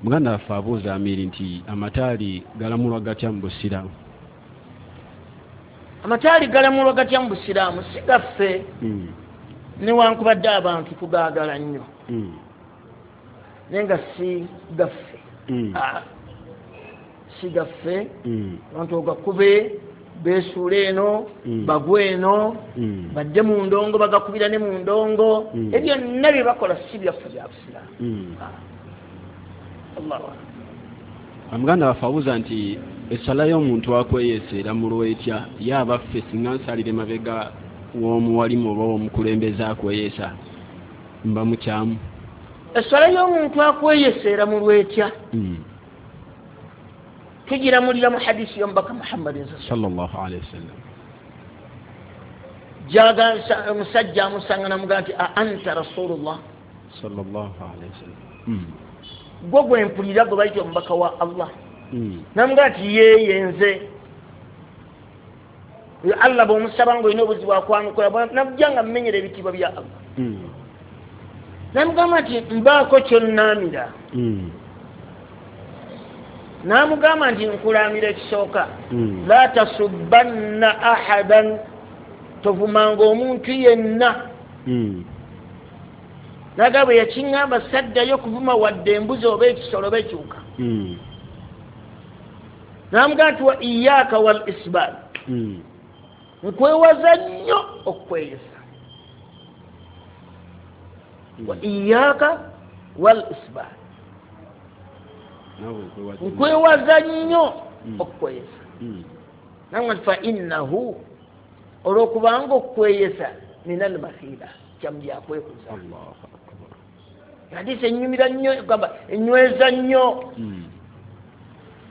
Muganda waffe abuuza Amiiri nti amataali galamulwa gatya mu Busiraamu? Amataali galamulwa gatya mu Busiraamu? Si gaffe, newankubadde abantu tugaagala nnyo, naye nga si gaffe. Si gaffe. Abantu ogakube beesuula eno, bagwe eno, badde mu ndongo, bagakubira ne mu ndongo. Ebyo byonna bye bakola si byaffe bya Busiraamu. Muganda waffe abuuza nti essala y'omuntu akweyesa eramulwa etya? Ye abaffe singa nsalira emabega w'omuwalimu oba w'omukulembeze akweyesa mba mukyamu? Essala y'omuntu akweyesa eramulwa etya? Tugiramulira mu hadisi y'omubaka Muhammadin sallallahu alaihi wasallam. Jaga omusajja amusanga namugamba nti a anta rasulullah sallallahu alaihi wasallam. Gwe gwe mpulira gwe bayita omubaka wa Allah. Namugamba nti yeye nze. Allah bw'omusaba ng'olina obuzibu akwanukula, najja nga mmenyera ebitiibwa bya Allah. Namugamba nti mbaako kyonnaamira. Namugamba nti nkulaamira ekisooka, la tasubbanna ahadan, tovumanga omuntu yenna. Naga bwe yakiŋŋamba saddayo kuvuma wadde embuzi oba ekisolo oba ekiwuka. Namugamba nti wa iyaaka wal isbaal, nkwewaza nnyo okweyesa. Wa iyaaka wal isbaal, nkwewaza nnyo okweyesa. Namugamba nti fa innahu, olwokubanga okweyesa minal makhila, kyamubyakwekuza. Hadisi enyumira nnyo, gamba enyweza nnyo.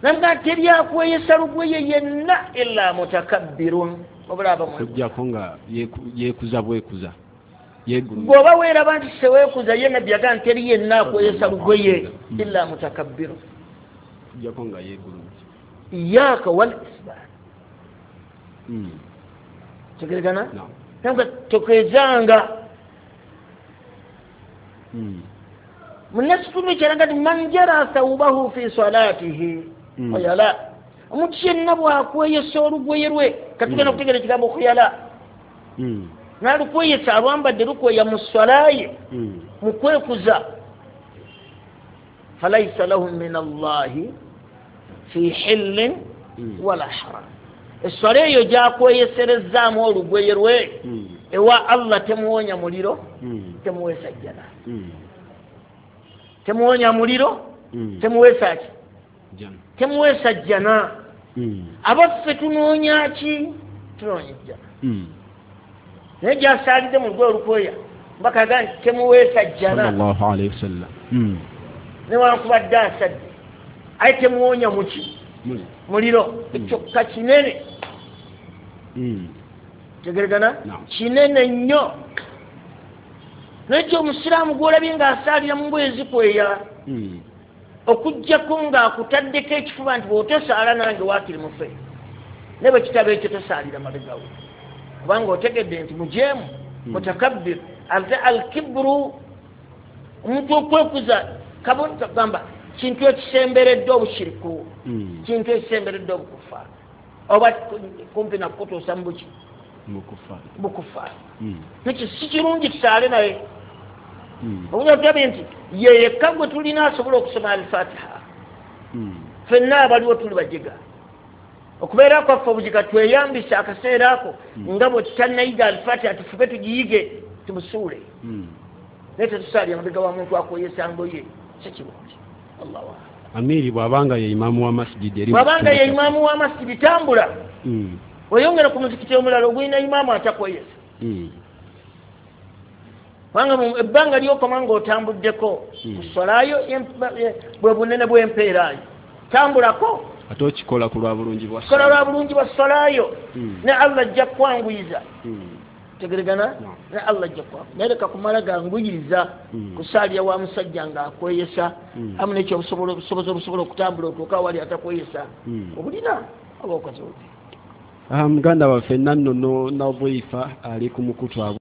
Namugamba teryakweyesa lugweye yenna illa mutakabbirun, wabula okuggyako nga yeekuza bwekuza. Bw'oba weeraba nti seweekuza, ye Nabbi yagamba nti teri yenna akweyesa lugweye illa mutakabbirun, okuggyako nga yeegulumiza. Iyaaka wal isbaal. Tegeregana? Namugamba tokwezanga. Munnasitundu kyalaga nti man jara thawbahu fi salatihi khuyala, omuntu yenna bw'akweyesa olugweye lwe, katugenda okutegeera ekigambo khuyala, n'alukweyesa alwambadde lukweya mu swala ye mu kwekuza, falaisa lahu min Allahi fi hillin wala haram. Esswala eyo gy'akweyeserezaamu olugweye lwe ewa Allah temuwonya muliro, temuweesa jjana. Temuwonya muliro, temuweesa ki? Temuweesa jjana. Abaffe tunoonya ki? Tunoonya jjana. Naye gy'asaalidde mu lugwe olukweya mbaka agamba nti temuweesa jjana sallallahu alaihi wasallam. Newankubadde asadde, aye temuwonya muki? Muliro. Ekyokka kinene. Tegeregana? Kinene nnyo. Naye omusiraamu gw'olabye ng'asaalira mu ngoye zikweya, okuggyako ng'akutaddeko ekifuba nti bw'otosaala nange waakiri mufe, naye bwe kitaba ekyo tosaalira mabegawo, kubanga otegedde nti mujeemu mutakabbir. Ate alkibru, omuntu okwekuza kagamba kintu ekisemberedde obushiriku, kintu ekisemberedde obukufa, oba kumpi nakutuusa mubuki bukufa. Nekyo si kirungi tusaale naye. Obunya tulabye nti ye yekka gwe tulina asobola okusoma Alfatiha. Ffenna abaliwo tuli bajiga. Okubeera kwaffe obujiga tweyambisa akaseera ako nga bwe tutannayiga Alfatiha, tufube tugiyige tumusuule. Naye tetusaalira mabega wa muntu akweyesa ngoye, si kirungi. Allahu akbar. Amiiri bw'abanga ye imaamu wa masjidi eri, bw'abanga ye imaamu wa masjidi, tambula weyongera ku muzikiti omulala ogulina imaamu atakweyesa. Kubanga ebbanga ly'okoma ng'otambuddeko ku swalayo bwe bunene bw'empeerayo, tambulako ate okikola ku lwa bulungi bwa kola lwa bulungi bwa swalayo, ne Allah ajja kukwanguyiza. Tegeregana? Ne Allah ajja kukwanguyiza. Naye leka kumala ganguyiriza kusaalira wa musajja ng'akweyesa, amu n'ekyo obusobozi obusobola okutambula otuuka awali atakweyesa obulina oba okoze obubi. Muganda waffe Nannono Nadhifa ali ku mukutu.